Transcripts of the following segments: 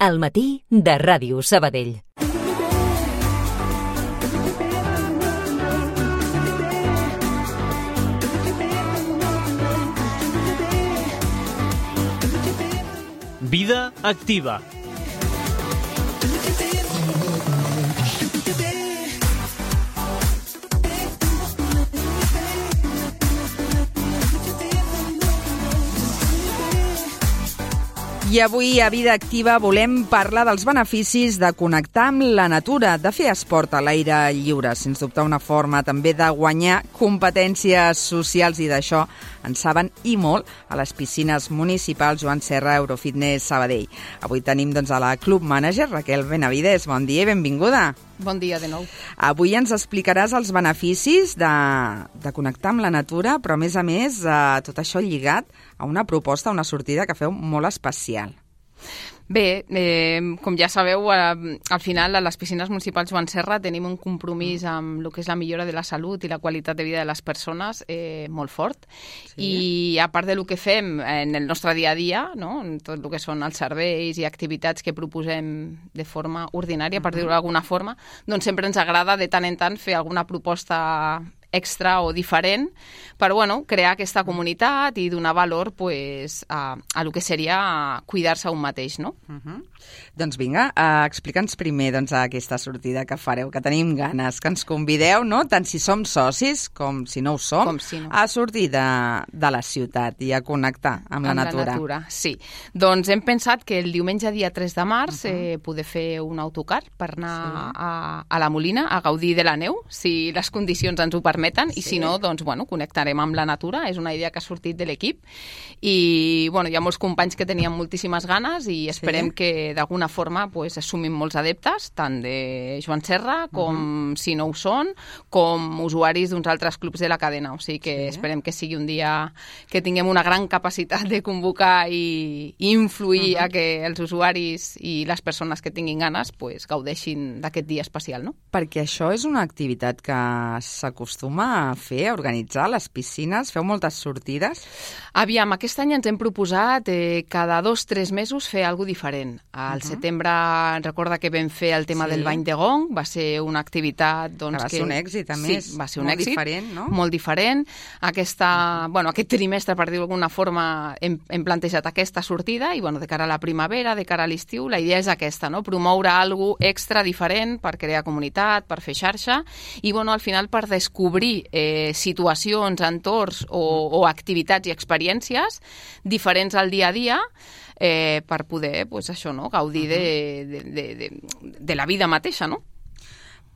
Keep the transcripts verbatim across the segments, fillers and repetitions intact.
Al matí de Ràdio Sabadell. Vida activa. I avui a Vida Activa volem parlar dels beneficis de connectar amb la natura, de fer esport a l'aire lliure, sens dubte una forma també de guanyar competències socials, i d'això en saben i molt a les piscines municipals Joan Serra, Eurofitness Sabadell. Avui tenim doncs a la Club Manager Raquel Benavides. Bon dia i benvinguda. Bon dia de nou. Avui ens explicaràs els beneficis de, de connectar amb la natura, però a més a més eh, tot això lligat a una proposta, una sortida que feu molt especial. Bé, eh, com ja sabeu, eh, al final a les piscines municipals Joan Serra tenim un compromís amb el que és la millora de la salut i la qualitat de vida de les persones eh, molt fort. Sí. I a part del que fem en el nostre dia a dia, no? En tot el que són els serveis i activitats que proposem de forma ordinària, per dir-ho d'alguna forma, doncs sempre ens agrada de tant en tant fer alguna proposta extra o diferent per bueno, crear aquesta comunitat i donar valor pues, a, a lo que seria cuidar-se un mateix, no? Uh-huh. Doncs vinga, uh, explica'ns primer doncs, aquesta sortida que fareu, que tenim ganes, que ens convideu, no? Tant si som socis com si no ho som, com si no. A sortir de, de la ciutat i a connectar amb, amb la natura. La natura. Sí, doncs hem pensat que el diumenge dia tres de març uh-huh. eh, poder fer un autocar per anar sí. a, a la Molina a gaudir de la neu, si les condicions ens ho permeten, sí. I si no, doncs, bueno, connectarem amb la natura. És una idea que ha sortit de l'equip i, bueno, hi ha molts companys que tenien moltíssimes ganes i esperem sí. que d'alguna forma pues, assumim molts adeptes, tant de Joan Serra com, uh-huh. si no ho són, com usuaris d'uns altres clubs de la cadena. O sigui que sí. esperem que sigui un dia que tinguem una gran capacitat de convocar i, i influir uh-huh. a que els usuaris i les persones que tinguin ganes pues, gaudeixin d'aquest dia especial, no? Perquè això és una activitat que s'acostuma a fer, a organitzar a les piscines? Feu moltes sortides? Aviam, aquest any ens hem proposat eh, cada dos o tres mesos fer alguna cosa diferent. Al uh-huh. setembre recorda que vam fer el tema sí. del bany de gong, va ser una activitat doncs, que va que... ser un èxit, a sí, més. Va ser un molt èxit, diferent, no? Molt diferent. Aquesta, uh-huh. bueno, aquest trimestre, per dir-ho d'alguna forma, hem, hem plantejat aquesta sortida i bueno, de cara a la primavera, de cara a l'estiu, la idea és aquesta, no? Promoure alguna cosa extra diferent per crear comunitat, per fer xarxa i bueno, al final per descobrir eh, situacions, entorns o, o activitats i experiències diferents al dia a dia eh, per poder pues, això, no? Gaudir de, de, de, de, de la vida mateixa, no?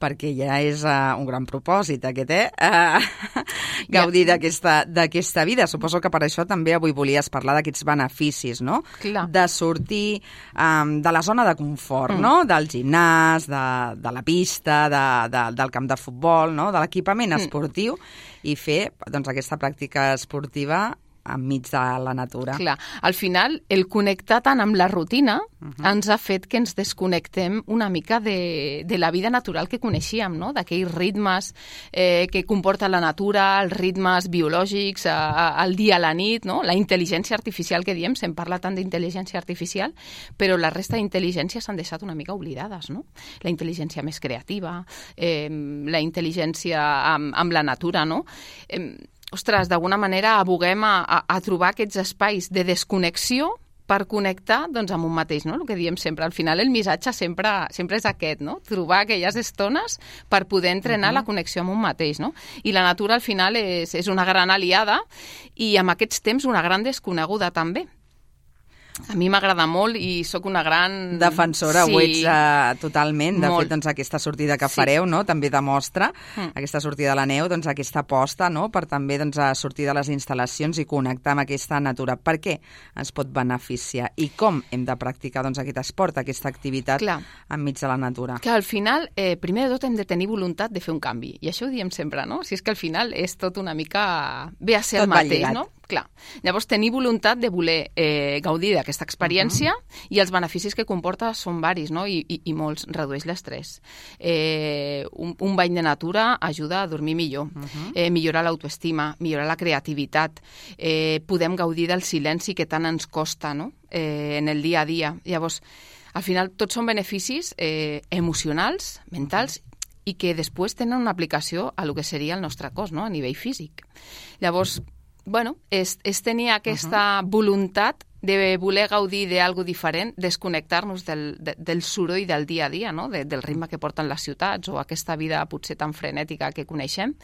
Perquè ja és uh, un gran propòsit aquest, eh? Uh, gaudir ja. d'aquesta, d'aquesta vida. Suposo que per això també avui volies parlar d'aquests beneficis, no? Clar. De sortir um, de la zona de confort, mm. no? Del gimnàs, de, de la pista, de, de, del camp de futbol, no? De l'equipament esportiu mm. i fer doncs, aquesta pràctica esportiva enmig de la natura. Clar, al final, el connectar tant amb la rutina uh-huh. ens ha fet que ens desconnectem una mica de, de la vida natural que coneixíem, no? D'aquells ritmes eh, que comporta la natura, els ritmes biològics, a, a, al dia a la nit, no? La intel·ligència artificial que diem, se'n parla tant d'intel·ligència artificial, però la resta d'intel·ligències s'han deixat una mica oblidades, no? La intel·ligència més creativa, eh, la intel·ligència amb, amb la natura, no? Eh, Ostres, d'alguna manera aboguem a, a, a trobar aquests espais de desconnexió per connectar doncs, amb un mateix, no? El que diem sempre. Al final el missatge sempre, sempre és aquest, no? Trobar aquelles estones per poder entrenar uh-huh. la connexió amb un mateix, no? I la natura al final és, és una gran aliada i amb aquests temps una gran desconeguda també. A mi m'agrada molt i sóc una gran... Defensora, sí. ho ets uh, totalment. De molt. fet, doncs, aquesta sortida que sí. fareu no? també demostra, mm. aquesta sortida a la neu, doncs, aquesta aposta no? per també doncs, a sortir de les instal·lacions i connectar amb aquesta natura. Per què ens pot beneficiar? I com hem de practicar doncs, aquest esport, aquesta activitat Clar. enmig de la natura? Que al final, eh, primer de tot, hem de tenir voluntat de fer un canvi. I això ho diem sempre, no? Si és que al final és tot una mica... ve a ser tot el mateix, no? Clar. Llavors, tenir voluntat de voler eh, gaudir d'aquesta experiència uh-huh. i els beneficis que comporta són varis, no? I, i, i molts. Redueix l'estrès. Eh, un, un bany de natura ajuda a dormir millor, uh-huh. eh, millorar l'autoestima, millorar la creativitat. Eh, podem gaudir del silenci que tant ens costa, no? Eh, en el dia a dia. Llavors, al final tots són beneficis eh, emocionals, mentals, i que després tenen una aplicació a lo que seria el nostre cos, no?, a nivell físic. Llavors, bueno, és, és tenir aquesta uh-huh. voluntat de voler gaudir d'algo diferent, desconnectar-nos del, de, del soroll del dia a dia, no?, de, del ritme que porten les ciutats o aquesta vida potser tan frenètica que coneixem,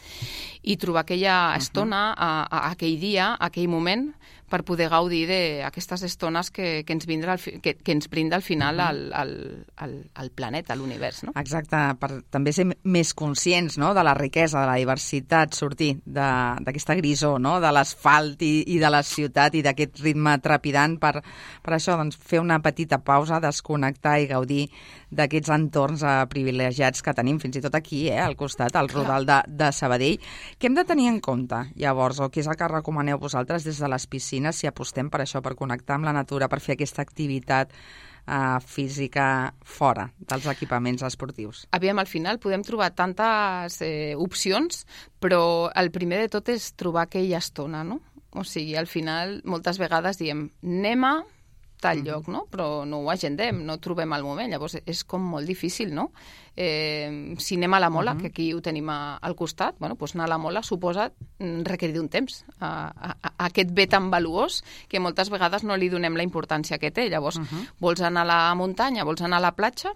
i trobar aquella estona, a, a, aquell dia, aquell moment, per poder gaudir d'aquestes estones que, que, ens vindrà al, que, que ens brinda al final el, el, el, el planeta, l'univers, no? Exacte, per també ser més conscients, no?, de la riquesa, de la diversitat, sortir d'aquesta grisor, no?, de l'asfalt i, i de la ciutat i d'aquest ritme trepidant, per, per això, doncs, fer una petita pausa, desconnectar i gaudir d'aquests entorns eh, privilegiats que tenim, fins i tot aquí, eh, al costat, al Rodal de, de Sabadell. Què hem de tenir en compte, llavors, o què és el que recomaneu vosaltres des de les piscines, si apostem per això, per connectar amb la natura, per fer aquesta activitat eh, física fora dels equipaments esportius? Aviam, al final podem trobar tantes eh, opcions, però el primer de tot és trobar aquella estona, no? O sigui, al final, moltes vegades diem, anem a tal lloc, no? Però no ho agendem, no trobem el moment. Llavors, és com molt difícil, no? Eh, si anem a la Mola, uh-huh. que aquí ho tenim a, al costat, bueno, doncs anar a la Mola suposa requerir un temps a, a, a aquest bé tan valuós que moltes vegades no li donem la importància que té. Llavors, uh-huh. vols anar a la muntanya, vols anar a la platja?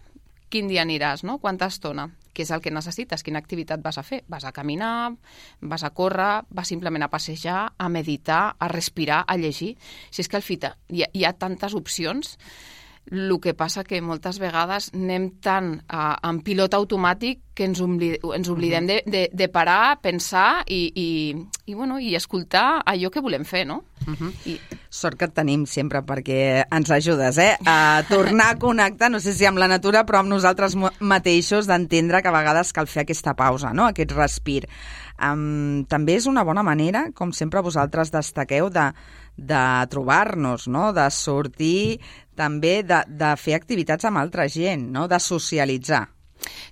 Quin dia aniràs, no? Quanta estona? Què és el que necessites? Quina activitat vas a fer? Vas a caminar, vas a córrer, vas simplement a passejar, a meditar, a respirar, a llegir. Si és que al final hi ha, hi ha tantes opcions, el que passa que moltes vegades anem tan uh, en pilot automàtic que ens, oblid ens oblidem de, de, de parar, pensar i, i, i, bueno, i escoltar allò que volem fer, no? Uh-huh. I... Sort que et tenim sempre perquè ens ajudes, eh? A tornar a connectar, no sé si amb la natura, però amb nosaltres mateixos, d'entendre que a vegades cal fer aquesta pausa, no?, aquest respir. Um, també és una bona manera, com sempre vosaltres destaqueu, de, de trobar-nos, no?, de sortir, també de, de fer activitats amb altra gent, no?, de socialitzar.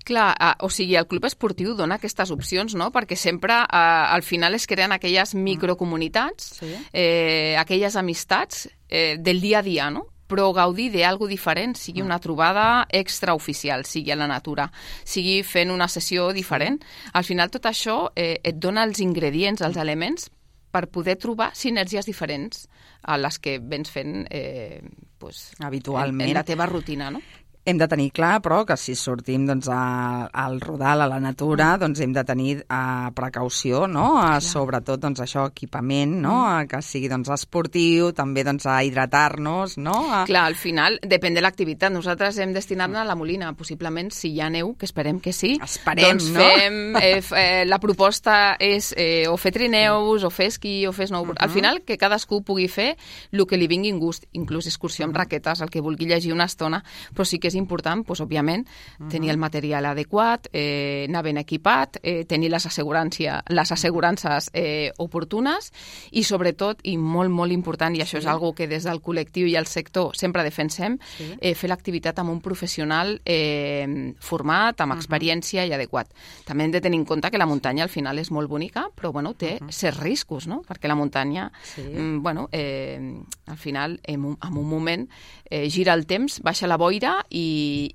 Clar, eh, o sigui, el club esportiu dona aquestes opcions, no?, perquè sempre eh, al final es creen aquelles microcomunitats, sí. eh, aquelles amistats eh, del dia a dia, no?, però gaudir d'algo diferent, sigui una trobada extraoficial, sigui a la natura, sigui fent una sessió diferent. Al final tot això eh, et dona els ingredients, els elements, per poder trobar sinergies diferents a les que vens fent eh, pues, habitualment en, en la teva rutina, no? Hem de tenir clar, però, que si sortim doncs, a, al rodal, a la natura, doncs hem de tenir uh, precaució, no? Uh, sobretot, doncs, això, equipament, no? Uh, que sigui, doncs, esportiu, també, doncs, a hidratar-nos, no? Uh... Clar, al final, depèn de l'activitat. Nosaltres hem destinat-ne a la Molina. Possiblement, si hi ha neu, que esperem que sí, esperem, doncs no? fem... Eh, eh, la proposta és eh, o fer trineus, o fer esquí, o fer snowboard. Uh -huh. Al final, que cadascú pugui fer el que li vingui en gust, inclús excursió amb raquetes, el que vulgui llegir una estona, però sí que és important, doncs, òbviament, uh -huh. tenir el material adequat, eh, anar ben equipat, eh, tenir les, les assegurances eh, oportunes i, sobretot, i molt, molt important, i això sí. és algo que des del col·lectiu i el sector sempre defensem, sí. eh, fer l'activitat amb un professional eh, format, amb experiència uh -huh. i adequat. També hem de tenir en compte que la muntanya al final és molt bonica, però bueno, té uh -huh. certs riscos, no? Perquè la muntanya, sí. mm, bueno, eh, al final, en un, en un moment, eh, gira el temps, baixa la boira i,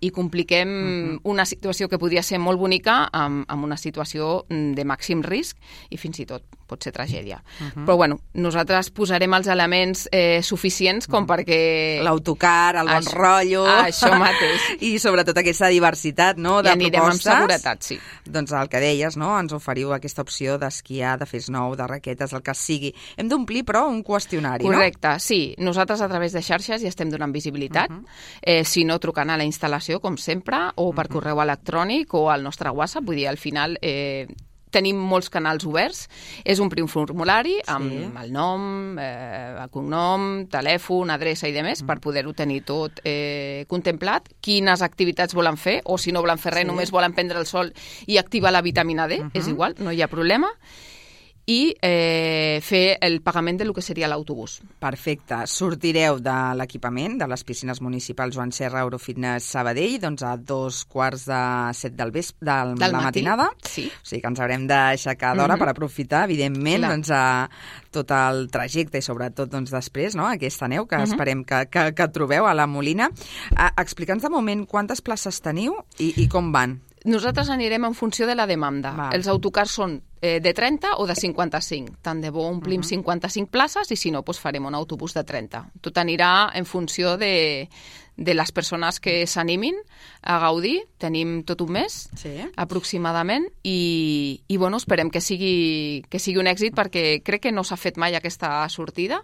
i compliquem uh-huh. una situació que podria ser molt bonica amb, amb una situació de màxim risc i fins i tot pot ser tragèdia. Uh-huh. Però bueno, nosaltres posarem els elements eh, suficients com perquè... L'autocar, el bon això, rotllo... Això mateix. I sobretot aquesta diversitat, no?, de I anirem propostes. amb seguretat, sí. Doncs el que deies, no?, ens oferiu aquesta opció d'esquiar, de fer snow, de raquetes, el que sigui. Hem d'omplir, però, un qüestionari, Correcte, no? Correcte, sí. Nosaltres a través de xarxes ja estem donant visibilitat. Uh-huh. eh, si no, trucant a la instal·lació, com sempre, o per uh-huh. correu electrònic o al nostre WhatsApp. Vull dir, al final... Eh, tenim molts canals oberts, és un prim formulari amb sí. el nom, eh, el cognom, telèfon, adreça i demés, mm. per poder-ho tenir tot eh, contemplat, quines activitats volen fer, o si no volen fer res, sí. només volen prendre el sol i activar la vitamina D, uh-huh. és igual, no hi ha problema. i eh, fer el pagament del que seria l'autobús. Perfecte. Sortireu de l'equipament de les piscines municipals Joan Serra Eurofitness Sabadell doncs a dos quarts de set del vespre, de Del la matí. matinada. Sí. O sigui que ens haurem d'aixecar d'hora Mhm. per aprofitar, evidentment, Clar. doncs, a tot el trajecte i sobretot doncs, després, no?, aquesta neu que Mhm. esperem que, que, que trobeu a la Molina. Uh, Explica'ns de moment quantes places teniu i, i com van. Nosaltres anirem en funció de la demanda. Val. Els autocars són eh, de trenta o de cinquanta-cinc. Tant de bo omplim Mhm. cinquanta-cinc places i si no, doncs farem un autobús de trenta. Tot anirà en funció de, de les persones que s'animin a gaudir. Tenim tot un mes, Sí. aproximadament, i, i bueno, esperem que sigui, que sigui un èxit perquè crec que no s'ha fet mai aquesta sortida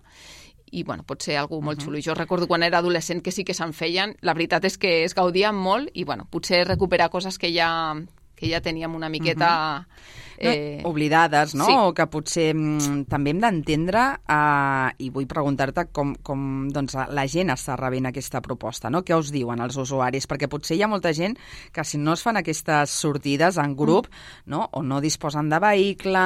i bueno, pot ser algú molt xulo. Jo recordo quan era adolescent que sí que se'n feien. La veritat és que es gaudien molt i bueno, potser recuperar coses que ja, que ja teníem una miqueta... Eh, oblidades, no? Sí. O que potser mm, també hem d'entendre, eh, i vull preguntar-te com, com doncs, la gent està rebent aquesta proposta, no? Què us diuen els usuaris? Perquè potser hi ha molta gent que si no es fan aquestes sortides en grup, mm. no? O no disposen de vehicle,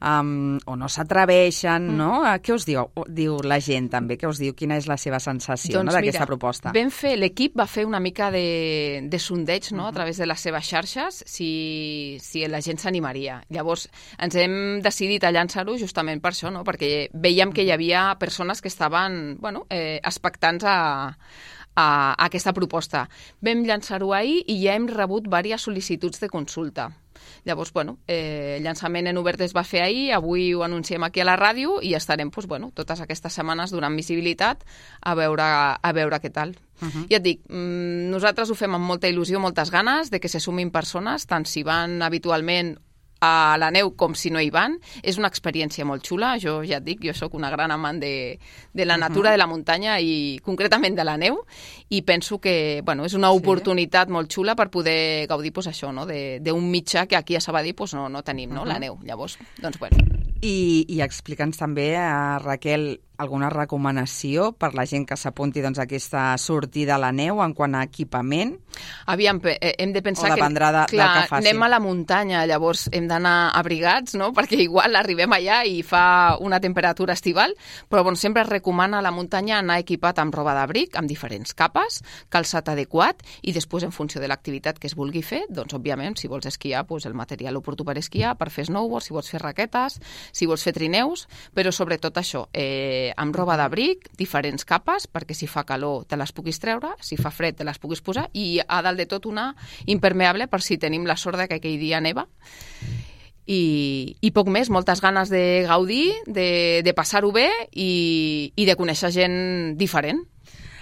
um, o no s'atreveixen, mm. no? Eh, Què us diu, diu la gent també? Què us diu? Quina és la seva sensació Doncs no, d'aquesta mira, proposta? Vam fer, l'equip va fer una mica de, de sondeig, no?, uh -huh. a través de les seves xarxes, si, si la gent s'animaria. Llavors, ens hem decidit a llançar-ho justament per això, no?, perquè veiem que hi havia persones que estaven, bueno, eh, expectants a, a, a aquesta proposta. Vam llançar-ho ahir i ja hem rebut diverses sol·licituds de consulta. Llavors, bueno, eh, el llançament en obert es va fer ahir, avui ho anunciem aquí a la ràdio i estarem doncs, bueno, totes aquestes setmanes donant visibilitat a veure, a veure què tal. Uh -huh. Ja et dic, mmm, nosaltres ho fem amb molta il·lusió, moltes ganes de que se sumin persones, tant si van habitualment a la neu com si no hi van. És una experiència molt xula. Jo ja et dic, jo sóc una gran amant de, de la natura, uh -huh. de la muntanya i concretament de la neu, i penso que bueno, és una oportunitat sí. molt xula per poder gaudir pues, això, no? d'un mitjà que aquí a Sabadell pues, no, no tenim, no? Uh -huh. la neu. Llavors, doncs bueno. I, i explica'ns també, a Raquel, alguna recomanació per la gent que s'apunti doncs, a aquesta sortida a la neu en quant a equipament? Aviam, hem de pensar o dependrà que, de, clar, del que faci. Anem a la muntanya, llavors hem d'anar abrigats, no?, perquè igual arribem allà i fa una temperatura estival, però bon, sempre es recomana a la muntanya anar equipat amb roba d'abric, amb diferents capes, calçat adequat, i després, en funció de l'activitat que es vulgui fer, doncs, òbviament, si vols esquiar, doncs, el material oportú per esquiar, per fer snowboard, si vols fer raquetes, si vols fer trineus, però sobretot això, eh, amb roba d'abric, diferents capes, perquè si fa calor te les puguis treure, si fa fred te les puguis posar, i a dalt de tot una impermeable per si tenim la sort de que aquell dia neva. I, i poc més, moltes ganes de gaudir, de, de passar-ho bé i, i de conèixer gent diferent.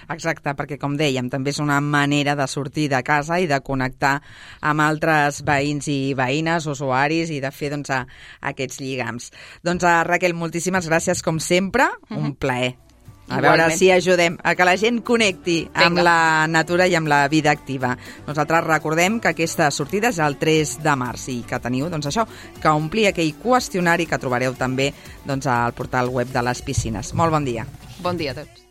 Exacte, perquè com dèiem, també és una manera de sortir de casa i de connectar amb altres veïns i veïnes, usuaris, i de fer doncs, a, a aquests lligams. Doncs a Raquel, moltíssimes gràcies, com sempre, mm-hmm. un plaer. A Igualment. veure si ajudem a que la gent connecti Vinga. amb la natura i amb la vida activa. Nosaltres recordem que aquesta sortida és el tres de març i que teniu, doncs això, que omplir aquell qüestionari que trobareu també doncs, al portal web de les piscines. Molt bon dia. Bon dia a tots.